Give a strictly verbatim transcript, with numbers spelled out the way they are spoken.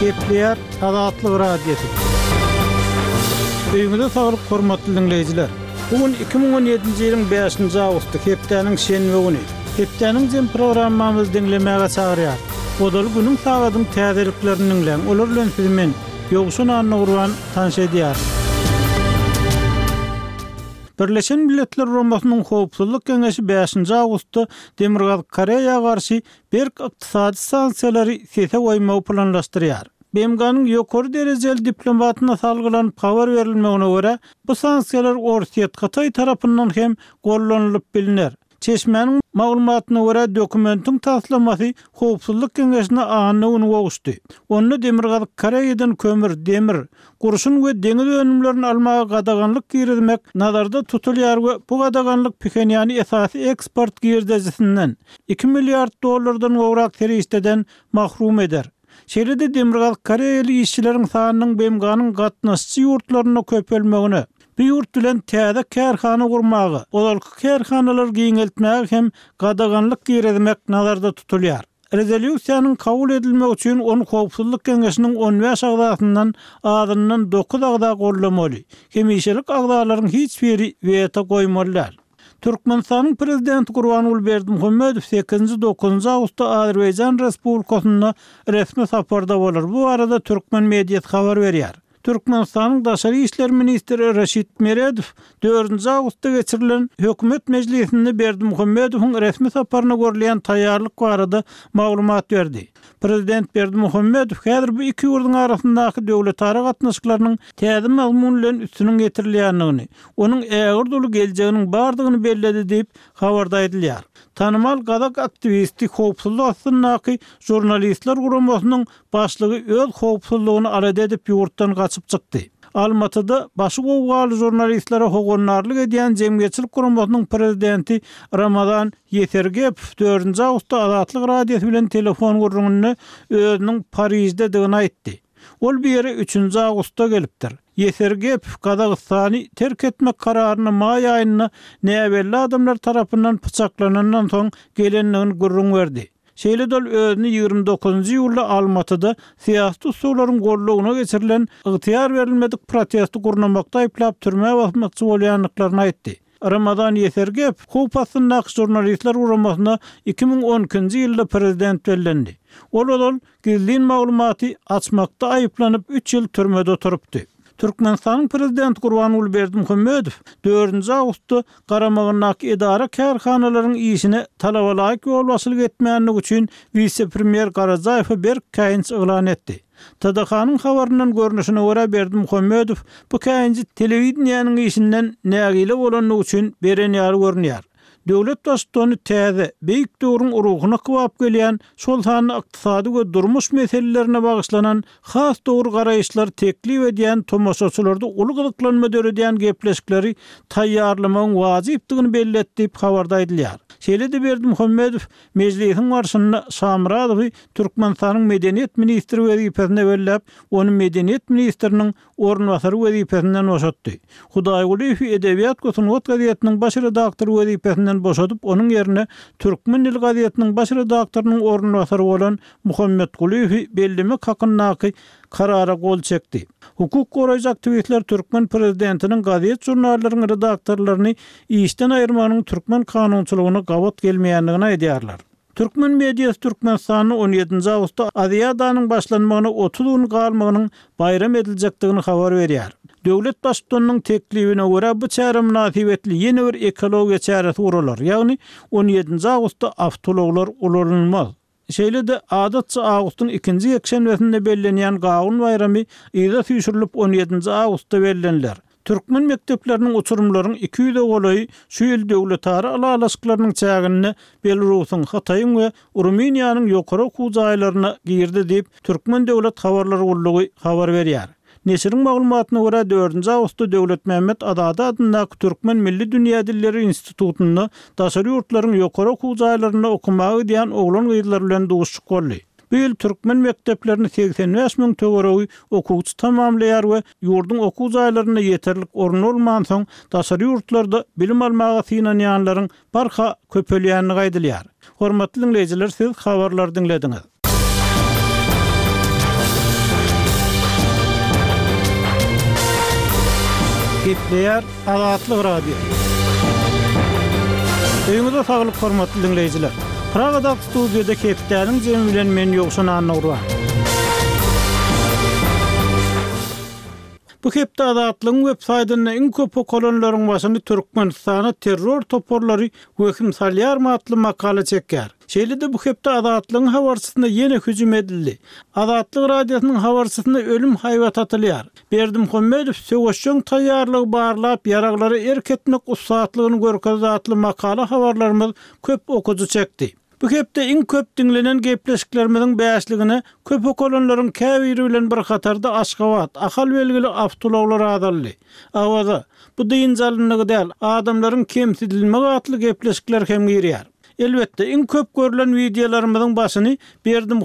Gepleýär Azatlyk Radiosy. Öýüňize saglyk hormatly diňleýjiler. Bu gün iki müň on ýedinji ýylyň bäşinji awgusty, hepdäniň şenbe güni. Hepdäniň jem programmamyzy diňlemäge çagyrýar. Ozal günüň sagadyň täzeliklerini diňläň. Olar bilen sizi men Ýowşan Annagurban tanyş edýär. Birleşen Milletler Guramasynyň Howpsuzlyk Geňeşi bäşinji awgustda Demirgazyk Koreýa garşy berk ykdysady sanksiýalary sese goýmagy planlaşdyrýar. B M G-nyň ýokary derejeli diplomatyna salgylanyp habar berilmegine görä, bu sanksiýalar Orsýet Hytaý tarapyndan hem gollanylyp bilner. Çeşmäniň maglumatyna görä, dokumentiň taslamasy Howpsuzlyk Geňeşine anna güni gowuşdy. Onda Demirgazyk Koreýadan kömür, demir, gurşun we deňiz önümlerini almaga gadaganlyk girizmek nazarda tutulýar we bu gadaganlyk Phenýany esasy eksport girdejisinden iki milliard dollardan gowrak serişdeden mahrum eder. Şeýle-de Demirgazyk Koreýaly işçileriň sanynyň B M G-nyň gatnaşyjy ýurtlarynda köpelmegine, bu ýurt bilen täze kärhana gurmaga, ozalky kärhanalary giňeltmäge hem gadaganlyk girizmek nazarda tutulýar. Rezolýusiýanyň kabul edilmegi üçin ony Howpsuzlyk Geňeşiniň on bäş agzasyndan azyndan dokuz agza gollamaly. Hemişelik agzalaryň hiç biri weto goýmaly däl. Türkmenistanyň prezidenti Gurbanguly Berdimuhamedow sekizinji dokuzynjy awgustda Azerbaýjan Respublikasynda resmi saparda bolar. Bu barada türkmen mediasy habar berýär. Türkmenistanyň daşary işler ministri Reşit Meredow dördünji awgustda geçirilen hökümet mejlisinde Berdimuhamedowyň resmi saparyna görülýän taýýarlyk barada maglumat berdi. Prezident Berdimuhamedow häzir bu iki ýurduň arasyndaky döwletara gatnaşyklarynyň täze mazmun bilen üstüniň getirilýändigini, onuň ägirt uly geljeginiň bardygyny belledi diýip habarda aýdylýar. Tanymal gazak aktiwisti howpsuzlyk astyndaky žurnalistler guramasynyň başlygy öz howpsuzlygyny alada edip ýurtdan gaçyp çykdy. Almatyda başy gowgaly žurnalistlere howandarlyk edýän jemgyýetçilik guramasynyň prezidenti Ramazan Ýesergepow dördünji awgustda Azatlyk Radiosy bilen telefon gürrüňinde özüniň Parijdedigini aýtdy. Ol bir ýere üçünji awgustda gelipdir. Ýesergepow Gazagystany terk etmek kararyny maý aýynda näbelli adamlar tarapyndan pyçaklanandan soň gelendigini gürrüň berdi. Şeýle-de ol özüni ýigrimi dokuzynjy iýulda Almatyda syýasy tussaglaryň gollugyna geçirilen ygtyýar berilmedik protesti gurnamakda aýyplap türmä basmakçy bolýandyklaryny aýtdy. Ramazan Ýesergepow howp astyndaky žurnalistler guramasyna iki müň on ikinji ýylda prezident bellendi. Ol ozal gizlin maglumaty açmakda aýyplanyp üç ýyl türmede oturypdy. Türkmenistanyň prezidenti Gurbanguly Berdimuhamedow dördünji awgustda garamagyndaky edara kärhanalaryň işine talaba laýyk ýolbaşçylyk etmändigi üçin wise-premýer Garajaýewe berk käýinç yglan etdi. T D H-nyň habaryndan görnüşine görä Berdimuhamedow bu käýinji telewideniýäniň işinden nägile bolandygy üçin beren ýaly görünýär. Döwlet baştutany täze, beýik döwrüň ruhuna kybap gelýän, şol sanda ykdysady we durmuş meselelerine bagyşlanan has dogry garaýyşlar teklip edýän tomaşaçylarda uly gyzyklanma döredýän gepleşikleri taýýarlamagyň wajypdygyny belli diýip habarda aýdylýar. Şeýle-de Berdimuhamedow mejlisiň barşynda Şamyradowy Türkmenistanyň medeniýet ministri wezipesine belläp, ony medeniýet ministriniň orunbasary wezipesinden boşatdy. Hudaýgulyýew Edebiýat we sungat gazetiniň baş redaktory wezipesinden boşadyp, onuň ýerine Türkmen dili gazetiniň baş redaktorynyň orunbasary bolan Muhammetgulyýewi bellemek hakyndaky karara gol çekdi. Hukuk goraýjy aktiwistler türkmen prezidentiniň gazet žurnallaryň redaktorlaryny işden aýyrmagynyň türkmen kanunçylygyna gabat gelmeýändigini aýdýarlar. Türkmen mediasy Türkmenistanda on ýedinji awgustda Aziadanyň başlanmagyna otuz gün galmagynyň baýram ediljekdigini habar berýär. Döwlet baştutanynyň teklibine görä bu çäre mynasybetli ýene bir ekologiýa çäresi guralar, ýagny on ýedinji awgustda awtoulaglar ulanylmaz. Şeýle-de adatça awgustyň ikinji ýekşenbesinde bellenýän Gawun baýramy yza süýşürilip on ýedinji awgustda belleniler. Türkmen mekdepleriniň uçurumlaryň iki ýüze golaýy şu ýyl döwletara ylalaşyklarynyň çäginde Belarusyň, Hytaýyň we Rumyniýanyň ýokary okuw jaýlaryna girdi diýip, Türkmen döwlet habarlar gullugy habar berýär. Neşiriň maglumatyna görä dördünji awgustda Döwletmämmet Azady adyndaky Türkmen Milli Dünýä Dilleri Institutynda daşary ýurtlaryň ýokary okuw jaýlarynda okamaga gidýän oglan-gyzlar bilen duşuşyk boldy. Bu ýyl türkmen mekdeplerini segsen bäş müň töweregi okuwçy tamamlaýar we ýurduň okuw jaýlarynda ýeterlik orun bolmansoň, daşary ýurtlarda bilim almaga synanýanlaryň barha köpelýändigi aýdylýar. Hormatly dinleýjiler, siz habarlary diňlediňiz. Gepleýär Azatlyk Radiosy. Öýüňize saglyk hormatly diňleýjiler. Pragadaky studiýada hepdäniň jemi bilen men Ýowşan Annagurban. Bu hepde Azatlygyň web saýtynda iň köp okalanlaryň başyny Türkmenistana terror toparlary wehim salýarmy atly makala çekýär. Şeýle-de bu hepde Azatlygyň habarçysyna ýene hüjüm edildi. Azatlyk Radiosynyň habarçysyna ölüm haýbat atylýar. Berdimuhamedow söweşjeň taýýarlygy barlap, ýaraglara erk etmek ussatlygyny görkezdi atly makala habarlarymyz köp okyjy çekdi. Bu hepde iň köp diňlenen gepleşiklerimiziň bäşligine köp okalanlaryň käbiri bilen bir hatarda Aşgabat, Ahal belgili awtoulaglar azaldy. Awaza, bu dynç alyndygy däl, adamlaryň kemsidilmegi atly gepleşikler hem girýär. Elbetde, iň köp görlen wideolarymyzyň başyny Berdimuhamedow